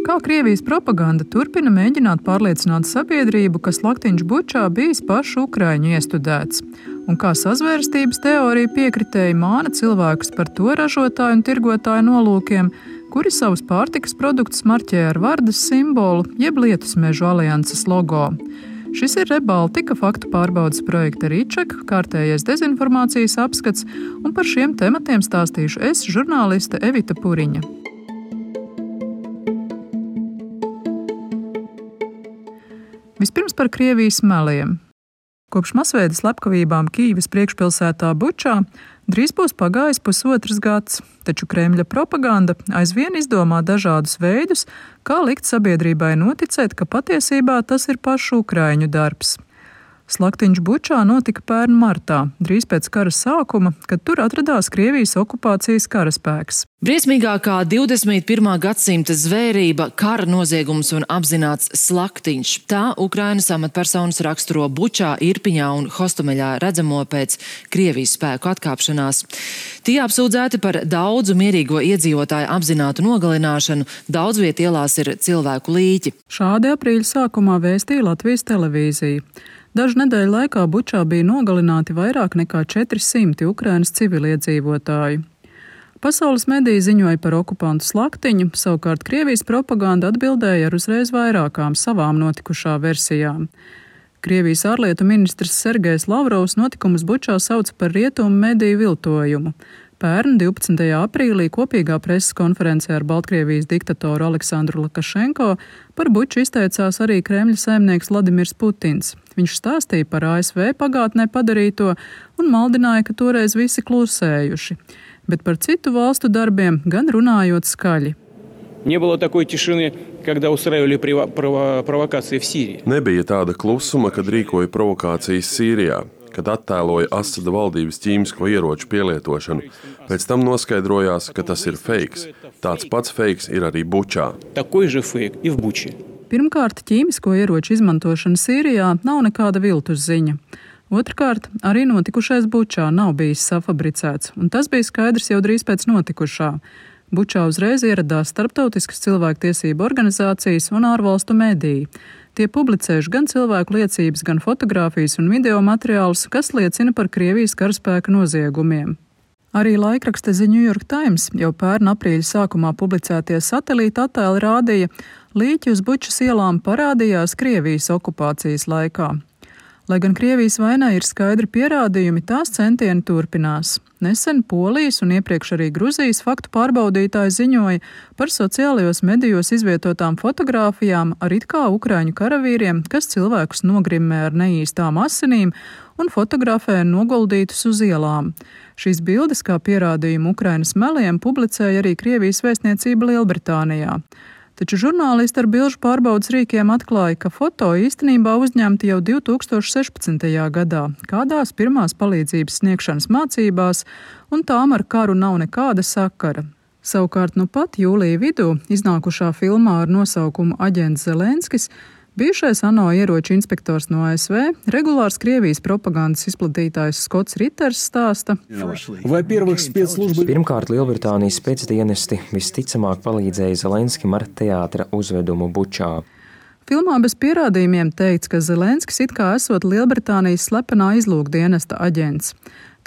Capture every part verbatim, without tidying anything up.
Kā Krievijas propaganda turpina mēģināt pārliecināt sabiedrību, ka slaktiņš Bučā bijis pašu ukraiņu iestudēts, un kā sazvērstības teorija piekritēji māna cilvēkus par to ražotāju un tirgotāju nolūkiem, kuri savus pārtikas produktus marķē ar Vardas simbolu jeb Lietusmežu alianses logo. Šis ir Rebaltika faktu pārbaudes projekta Rīček, kārtējais dezinformācijas apskats, un par šiem tematiem stāstīšu es, žurnāliste Evita Puriņa. Vispirms par Krievijas meliem. Kopš masveida slepkavībām Kīivas priekšpilsētā Bučā drīz būs pagājis pusotrs gads, taču Kremļa propaganda aizvien izdomā dažādus veidus, kā likt sabiedrībai noticēt, ka patiesībā tas ir pašu ukraiņu darbs. Slaktiņš Bučā notika pērn martā, drīz pēc kara sākuma, kad tur atradās Krievijas okupācijas karaspēks. Briesmīgākā divdesmit pirmā gadsimta zvērība, kara noziegums un apzināts slaktiņš. Tā Ukrainas amatpersonas raksturo Bučā, Irpiņā un Hostomeļā redzamo pēc Krievijas spēku atkāpšanās. Tie apsūdzēti par daudzu mierīgo iedzīvotāju apzinātu nogalināšanu, daudz viet ielās ir cilvēku līķi. Šādi aprīļa sākumā vēstīja Latvijas televīzija. Dažu nedēļu laikā Bučā bija nogalināti vairāk nekā četri simti Ukrainas civiliedzīvotāju. Pasaules mediji ziņoja par okupantu slaktiņu, savukārt Krievijas propaganda atbildēja ar uzreiz vairākām savām notikušā versijām. Krievijas ārlietu ministrs Sergejs Lavrovs notikumus Bučā sauca par rietumu mediju viltojumu. Pērn divpadsmitajā aprīlī kopīgā preses konferencē ar Baltkrievijas diktatoru Aleksandru Lukašenko par Buču izteicās arī Kremļa saimnieks Vladimirs Putins. Viņš stāstīja par A S V pagātnē padarīto un maldināja, ka toreiz visi klusējuši, bet par citu valstu darbiem gan runājot skaļi. Nebija tāda klusuma, kad rīkoja provokācijas Sīrijā, kad attēloja Asada valdības ķīmisko ieroču pielietošanu. Pēc tam noskaidrojās, ka tas ir feiks. Tāds pats feiks ir arī Bučā. Pirmkārt, ķīmisko ieroču izmantošana Sīrijā nav nekāda viltus ziņa. Otrkārt, arī notikušais Bučā nav bijis safabricēts, un tas bija skaidrs jau drīz pēc notikušā. Bučā uzreiz ieradās starptautiskas cilvēktiesību organizācijas un ārvalstu mediji. Tie publicējuši gan cilvēku liecības, gan fotogrāfijas un video materiālus, kas liecina par Krievijas karaspēka noziegumiem. Arī laikraksta The New York Times jau pērn aprīļa sākumā publicētie satelīta attēli rādīja, līķi uz Bučas ielām parādījās Krievijas okupācijas laikā. Lai gan Krievijas vainai ir skaidri pierādījumi, tās centieni turpinās. Nesen Polijas un iepriekš arī Gruzijas faktu pārbaudītāji ziņoja par sociālajos medijos izvietotām fotogrāfijām ar it kā ukraiņu karavīriem, kas cilvēkus nogrimmē ar neīstām asinīm un fotografē noguldītus uz ielām. Šīs bildes kā pierādījumu Ukrainas meliem publicēja arī Krievijas vēstniecība Lielbritānijā. Taču žurnālisti ar bilžu pārbaudas rīkiem atklāja, ka foto īstenībā uzņemti jau divi tūkstoši sešpadsmitajā gadā, kādās pirmās palīdzības sniegšanas mācībās, un tām ar karu nav nekāda sakara. Savukārt nu pat jūlija vidū iznākušā filmā ar nosaukumu Aģents Zelenskis bijušais ANO ieroču inspektors no A S V, regulārs Krievijas propagandas izplatītājs Skots Riters stāsta. Pirmkārt, Lielbritānijas spēcdienesti visticamāk palīdzēja Zelenskim ar teātra uzvedumu Bučā. Filmā bez pierādījumiem teikts, ka Zelenskis it kā esot Lielbritānijas slepenā izlūkdienesta aģents.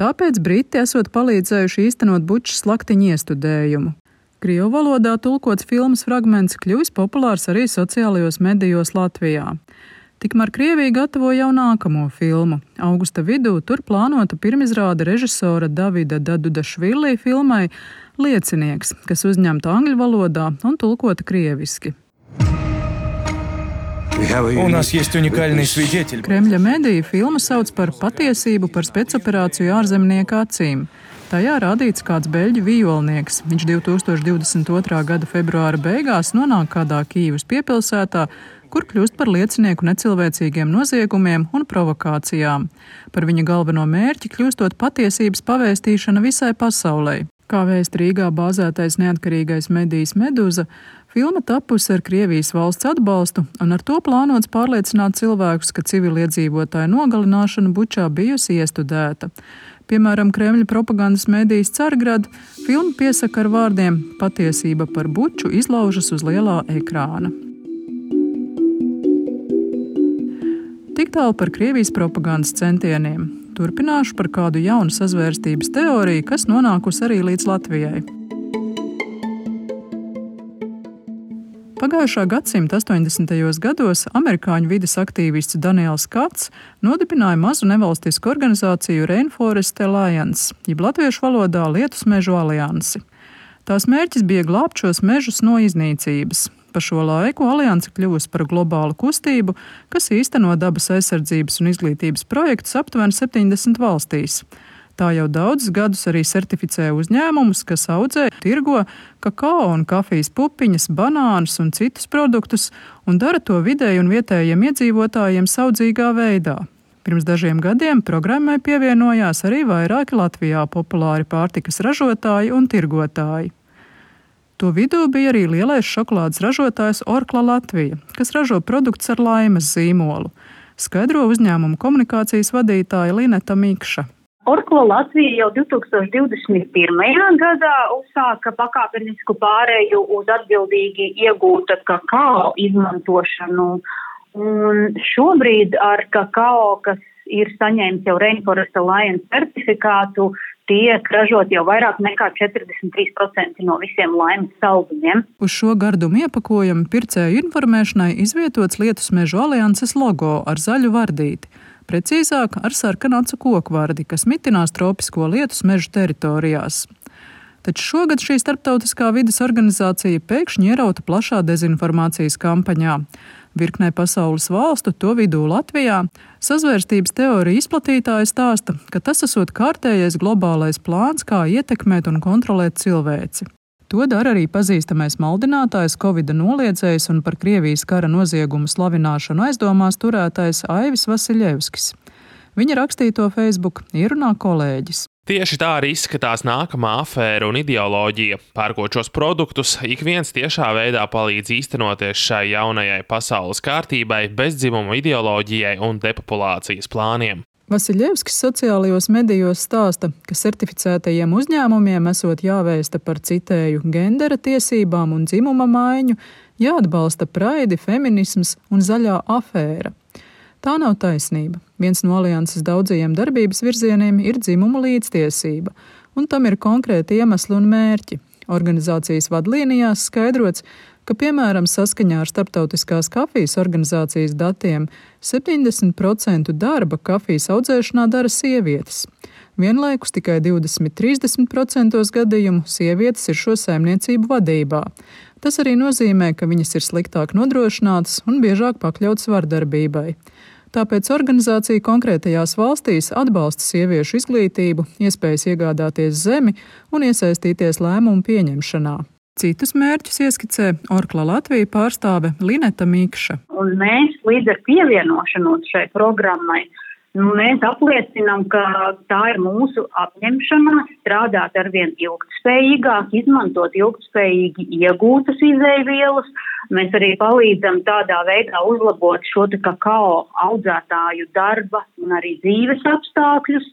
Tāpēc Briti esot palīdzējuši īstenot Bučas slaktiņu iestudējumu. Krievu valodā tulkots filmas fragments kļuvis populārs arī sociālajos medijos Latvijā. Tikmēr Krievija gatavo jau nākamo filmu. Augusta vidū tur plānota pirmizrāde režisora Davida Dadudašvili filmai Liecinieks, kas uzņemta angļu valodā un tulkota krieviski. Kremļa mediji filmu sauc par patiesību par spēcoperāciju ārzemnieka acīm. Tajā rādīts kāds beļģu vijolnieks. Viņš divi tūkstoši divdesmit otrā gada februāra beigās nonāk kādā Kīivas piepilsētā, kur kļūst par liecinieku necilvēcīgiem noziegumiem un provokācijām. Par viņa galveno mērķi kļūstot patiesības pavēstīšana visai pasaulei. Kā vēst Rīgā bāzētais neatkarīgais medijs Meduza, filma tapusi ar Krievijas valsts atbalstu un ar to plānots pārliecināt cilvēkus, ka civiliedzīvotāju nogalināšana Bučā bijusi iestudēta. Piemēram, Kremļa propagandas medijas Cargrad filmu piesaka ar vārdiem "Patiesība par Buču izlaužas uz lielā ekrāna". Tik tālu par Krievijas propagandas centieniem. Turpināšu par kādu jaunu sazvērstības teoriju, kas nonākusi arī līdz Latvijai. Pagājušā gadsimta astoņdesmitajos gados amerikāņu vides aktīvists Daniels Kats nodibināja mazu nevalstisku organizāciju Rainforest Alliance, jeb latviešu valodā Lietus mežu aliansi. Tās mērķis bija glābt šos mežus no iznīcības. Pa šo laiku alianse kļuvusi par globālu kustību, kas īsteno dabas aizsardzības un izglītības projektus aptuveni septiņdesmit valstīs. Tā jau daudzus gadus arī certificē uzņēmumus, kas audzē, tirgo kakao un kafijas pupiņas, banānus un citus produktus un dara to vidēji un vietējiem iedzīvotājiem saudzīgā veidā. Pirms dažiem gadiem programmai pievienojās arī vairāki Latvijā populāri pārtikas ražotāji un tirgotāji. To vidū bija arī lielais šokolādes ražotājs Orkla Latvija, kas ražo produktus ar laimes zīmolu, skaidro uzņēmumu komunikācijas vadītāja Lineta Mikša. Orkla Latvija jau divtūkstoš divdesmit pirmajā gadā uzsāka pakāpenisku pārēju uz atbildīgi iegūta kakao izmantošanu. Un šobrīd ar kakao, kas ir saņēmis jau Rainforest Alliance certifikātu, tiek ražot jau vairāk nekā četrdesmit trīs procenti no visiem laimes saldumiem. Uz šo gardumu iepakojumu pircēju informēšanai izvietots Lietus mežu alianses logo ar zaļu vardīti, precīzāk ar sarkanacu kokvardi, kas mitinās tropisko Lietus mežu teritorijās. Taču šogad šī starptautiskā vides organizācija pēkšņi ierauta plašā dezinformācijas kampaņā. Virknē pasaules valstu, to vidū Latvijā, sazvērstības teorija izplatītāji stāsta, ka tas esot kārtējais globālais plāns, kā ietekmēt un kontrolēt cilvēci. To dara arī pazīstamais maldinātājs, Covida noliedzējs un par Krievijas kara noziegumu slavināšanu aizdomās turētais Aivis Vasiļevskis. Viņa rakstīto Facebook ierunā kolēģis. Tieši tā arī izskatās nākamā afēra un ideoloģija. Pērkot šos produktus, ik viens tiešā veidā palīdz īstenoties šai jaunajai pasaules kārtībai, bezdzimuma ideoloģijai un depopulācijas plāniem. Vasiļevskis sociālajos medijos stāsta, ka certificētajiem uzņēmumiem esot jāvēsta par citēju gendera tiesībām un dzimuma maiņu, jāatbalsta praidi, feminisms un zaļā afēra. Tā nav taisnība. Viens no alianses daudzajiem darbības virzieniem ir dzimuma līdztiesība, un tam ir konkrēti iemesli un mērķi. Organizācijas vadlīnijās skaidrots, ka, piemēram, saskaņā ar Starptautiskās kafijas organizācijas datiem septiņdesmit procenti darba kafijas audzēšanā dara sievietes. Vienlaikus tikai divdesmit līdz trīsdesmit procenti gadījumu sievietes ir šo saimniecību vadībā. Tas arī nozīmē, ka viņas ir sliktāk nodrošinātas un biežāk pakļautas vardarbībai. Tāpēc organizācija konkrētajās valstīs atbalsta sieviešu izglītību, iespējas iegādāties zemi un iesaistīties lēmumu pieņemšanā. Citus mērķus ieskicē Orkla Latvija pārstāve Lineta Mikša. Un mēs līdz ar pievienošanos šai programmai, nu, mēs apliecinām, ka tā ir mūsu apņemšanās strādāt arvien ilgtspējīgāk, izmantot ilgtspējīgi iegūtas izēvielas. Mēs arī palīdzam tādā veidā uzlabot šo te kakao audzētāju darba un arī dzīves apstākļus.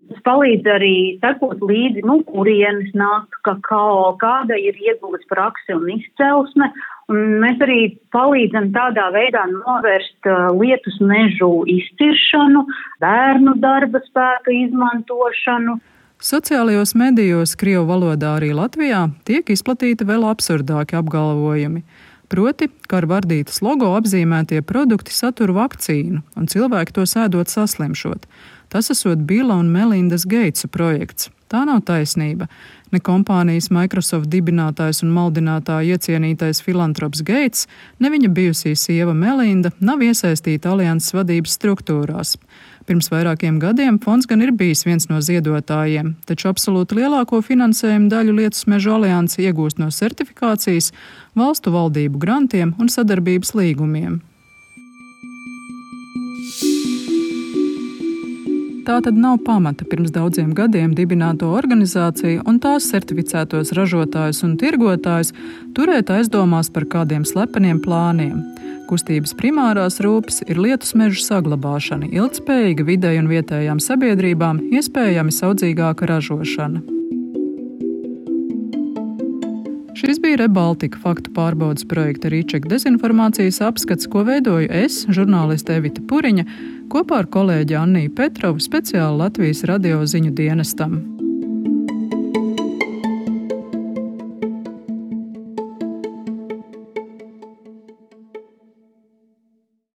Tas palīdz arī sekot līdzi, nu, kurienes nāk kakao, kāda ir ieguves prakse un izcelsme. Un mēs arī palīdzam tādā veidā novērst uh, lietus mežu izciršanu, bērnu darba spēka izmantošanu. Sociālajos medijos krievu valodā arī Latvijā tiek izplatīti vēl absurdāki apgalvojumi. Proti, ka ar vardītas logo apzīmētie produkti satur vakcīnu, un cilvēki to ēdot saslimšot. Tas esot Bila un Melindas Geitsa projekts. Tā nav taisnība. Ne kompānijas Microsoft dibinātājs un maldinātāja iecienītais filantrops Geits, ne viņa bijusī sieva Melinda nav iesaistīta alianses vadības struktūrās. Pirms vairākiem gadiem fonds gan ir bijis viens no ziedotājiem, taču absolūti lielāko finansējumu daļu Lietus mežu alianse iegūst no certifikācijas, valstu valdību grantiem un sadarbības līgumiem. tā tad nav pamata pirms daudziem gadiem dibināto organizāciju un tās certificētos ražotājus un tirgotājus turēt aizdomās par kādiem slepeniem plāniem. Kustības primārās rūpes ir lietus mežu saglabāšana, ilgtspējīga videi un vietējām sabiedrībām, iespējami saudzīgāka ražošana. Šis bija ReBaltica faktu pārbaudes projekta Rīčeka dezinformācijas apskats, ko veidoju es, žurnāliste Evita Puriņa, kopā ar kolēģi Anniju Petrovu speciāli Latvijas radio ziņu dienestam.